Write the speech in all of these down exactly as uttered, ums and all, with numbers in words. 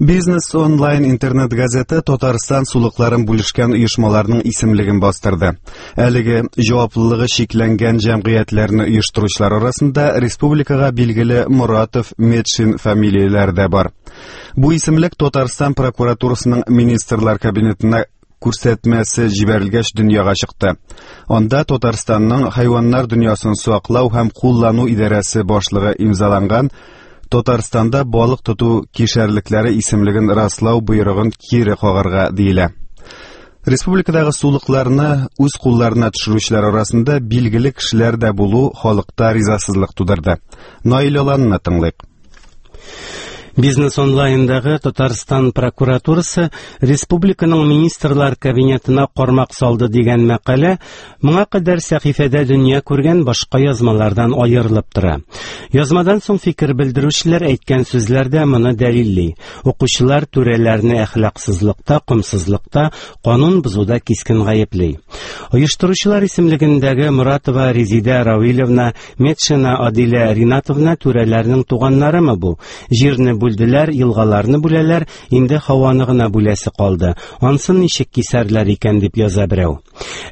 Бизнес онлайн интернет газеты Татарстан сулыкларын бүлешкән оешмаларның исемлеген бастырды. Әлеге җаваплылыгы чикләнгән җәмгыятьләрне оештыручылар арасында республикага билгеле Моратов, Метшин фамилияләре дә бар. Бу исемлек Татарстан прокуратурасының министрлар кабинетына күрсәтмәсе җибәрелгәч дөньяга чыкты. Анда Татарстанның хайваннар дөньясын саклау һәм куллану идарәсе башлыгы имзаланган Татарстанда балык тоту кишәрлекләре исемлеген раслау боерыгын кире кагарга диелә. Республикадагы сулыкларны үз кулларына төшерүчеләр арасында билгеле кешеләр дә булу халыкта ризасызлык тудырды. Наил Аланны тыңлыйк. Бизнес онлайндагы Татарстан прокуратурасы республиканың министрлар кабинетына кармак салды дигән мәкалә моңа кадәр сәхифәдә дөнья күргән башка язмалардан аерылып тора. Язмадан соң фикер белдерүчеләр әйткән сүзләр дә моны дәлилли. Укучылар түрәләрне әхлаксызлыкта, комсызлыкта, канун бозуда кискен гаепли. Оештыручылар исемлегендәге Моратова Резидә Равилевна, Метшина Адилә Ринатовна түрәләрнең туганнарымы бу? Җирне бүлделәр, елгаларны бүләләр, инде һаваны гына бүләсе калды. Ансын ничек кисәрләр икән дип яза берәү.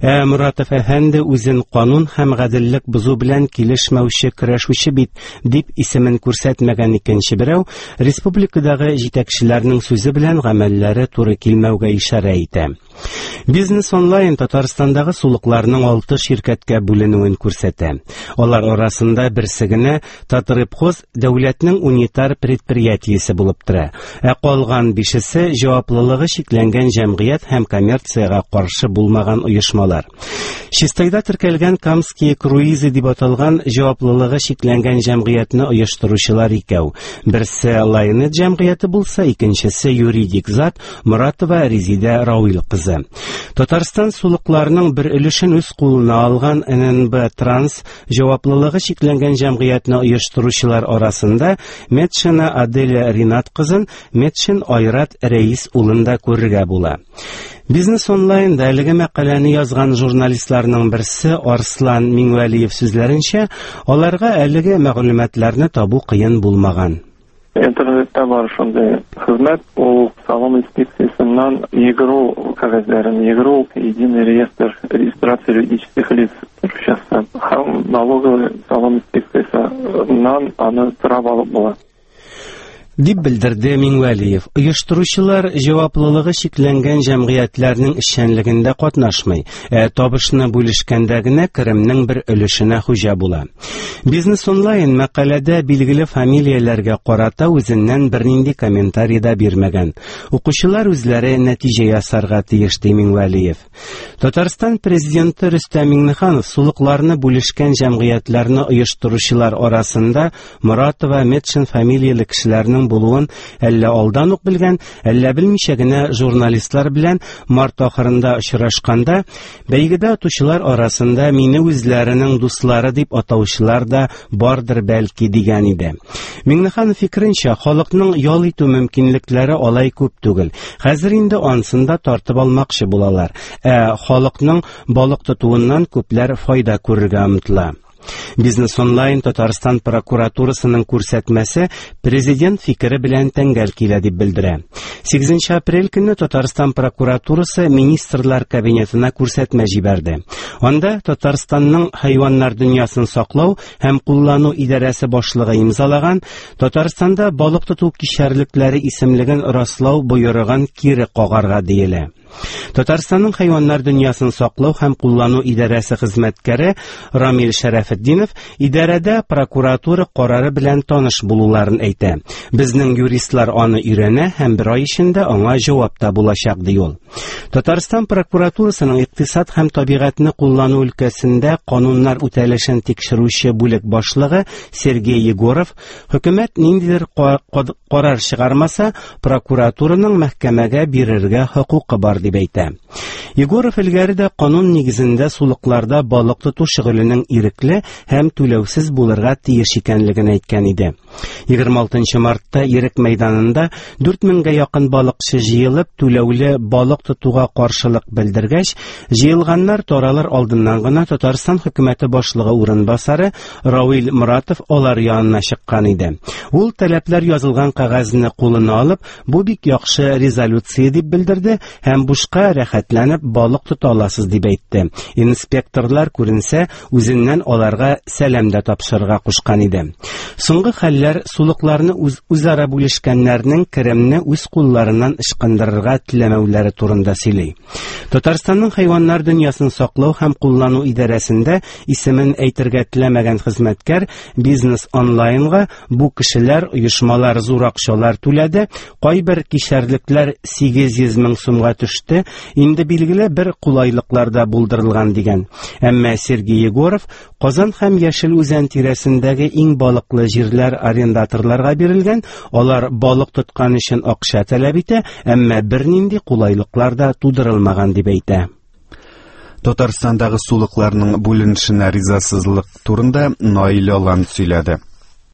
Ә Моратов әфәнде үзен канун һәм гаделлек бозу белән килешмәүче көрәшүче бит дип исемен күрсәтмәгән икенче берәү республикадагы җитәкчеләрнең сүзе белән гамәлләре туры килмәүгә ишарә итә. Бизнес онлайн Татарстандагы сулыкларның алты ширкәткә бүленүен күрсәтә. Алар арасында берсе генә Татрыбхоз дәүләтнең унитар предприятиесе булып тора. Ә калган бишесе җаваплылыгы чикләнгән җәмгыять һәм коммерциягә каршы булмаган оешмалар. Чистайда теркәлгән Камские круизы дип аталган җаваплылыгы чикләнгән җәмгыятьне оештыручылар икәү. Берсе Лайнет җәмгыяте булса, икенчесе юридик зат Моратова Резидә Рауил кызы. Татарстан сулыкларының бер өлешен үз кулына алган Н Н Б Транс җаваплылыгы чикләнгән җәмгыятьне оештыручылар арасында Метшина Аделя Ринат кызын, Метшин Айрат Рәис улын да күрергә була. Бизнес онлайнда әлеге мәкаләне язган журналистларның берсе Арслан Миңвәлиев сүзләренчә, аларга әлеге мәгълүматларны табу кыен булмаган. Интернетта бар шундый хезмәт, ул салым инспекциясеннән ЕГРЮЛ кәгазьләрен, ЕГРЮЛ единый реестр регистрации юридических лиц русчасы һәм налоговый салым инспекциясеннән аны сорап алып була. Дип белдерде Миңвәлиев. Оештыручылар җаваплылыгы чикләнгән җәмгыятьләрнең эшчәнлегендә катнашмый, ә табышны бүлешкәндә генә керемнең бер өлешенә хуҗа була. Бизнес онлайн мәкаләдә билгеле фамилияләргә карата үзеннән бернинди комментарий да бирмәгән. Укучылар үзләре нәтиҗә ясарга тиеш, ди Миңвәлиев. Татарстан президенты Рөстәм Миңнеханов сулыкларны бүлешкән җәмгыятьләрне оештыручылар арасында Моратова, Метшин фамилияле кешеләрнең булуын әллә алдан ук белгән, әллә белмичә генә журналистлар белән март ахырында очрашканда бәйгедә отучылар арасында мине үзләренең дуслары дип атаучылар да бардыр бәлки дигән иде. Миңнеханов фикеренчә, халыкның ял итү мөмкинлекләре алай күп түгел. Хәзер инде ансын да тартып алмакчы булалар. Ә халыкның балык тотуыннан күпләр файда күрергә омтыла. Бизнес онлайн Татарстан прокуратурасының күрсәтмәсе президент фикере белән тәңгәл килә дип белдерә. Сигезенче апрель көнне Татарстан прокуратурасы министрлар кабинетына күрсәтмә җибәрде. Анда Татарстанның хайваннар дөньясын саклау һәм куллану идарәсе башлыгы имзалаган Татарстанда балык тоту кишәрлекләре исемлеген раслау боерыгын кире кагарга диелә. Татарстанның хайваннар дөньясын саклау һәм куллану идарәсе хезмәткәре Рамил Шәрәфетдинов идарәдә прокуратура карары белән таныш булуларын әйтә. Безнең юристлар аны өйрәнә һәм бер ай эчендә аңа җавап та булачак, ди ул. Татарстан прокуратурасының икътисад һәм табигатьне куллану өлкәсендә кануннар үтәлешен тикшерүче бүлек башлыгы Сергей Егоров хөкүмәт ниндидер карар чыгармаса, прокуратураның мәхкәмәгә бирергә хокукы бар булыр дип әйтә. Егоров элгәре дә канун нигезендә сулыкларда балык тоту шөгыленең ирекле һәм түләүсез булырга тиеш икәнлеген әйткән иде. Егерме алтынчы мартта Ирек мәйданында дүрт меңгә якын балыкчы җыелып, түләүле балык тотуга каршылык белдергәч, җыелганнар таралыр алдыннан гына Татарстан хөкүмәте башлыгы урынбасары Равил Моратов алар янына чыккан иде. Ул таләпләр язылган кәгазьне кулына алып, бу бик яхшы резолюция дип белдерде һәм бушка рәхәтләнеп балык тота аласыз дип әйтте. Инспекторлар күренсә, үзеннән аларга сәлам дә тапшырырга кушкан иде. Соңгы хәлләр сулыкларны үз, үзара бүлешкәннәрнең керемне үз кулларыннан ычкындырырга теләмәүләре турында сөйли. Татарстанның хайваннар дөньясын саклау һәм куллану идарәсендә исемен әйтергә теләмәгән хезмәткәр Бизнес онлайнга бу кешеләр, оешмалар зур акчалар түләде, кайбер кишәрлекләр сигез йөз мең сумга төште, инде билгеле бер кулайлыклар да булдырылган дигән. Әмма Сергей Егоров Казан һәм Яшел Үзән тирәсендәге иң балыклы җирләр арендаторларга бирелгән, алар балык тоткан өчен акча таләп итә, әмма бернинди кулайлыклар да тудырылмаган дип әйтә. Татарстандагы сулыкларның бүленешенә ризасызлык турында Наил Алан сөйләде.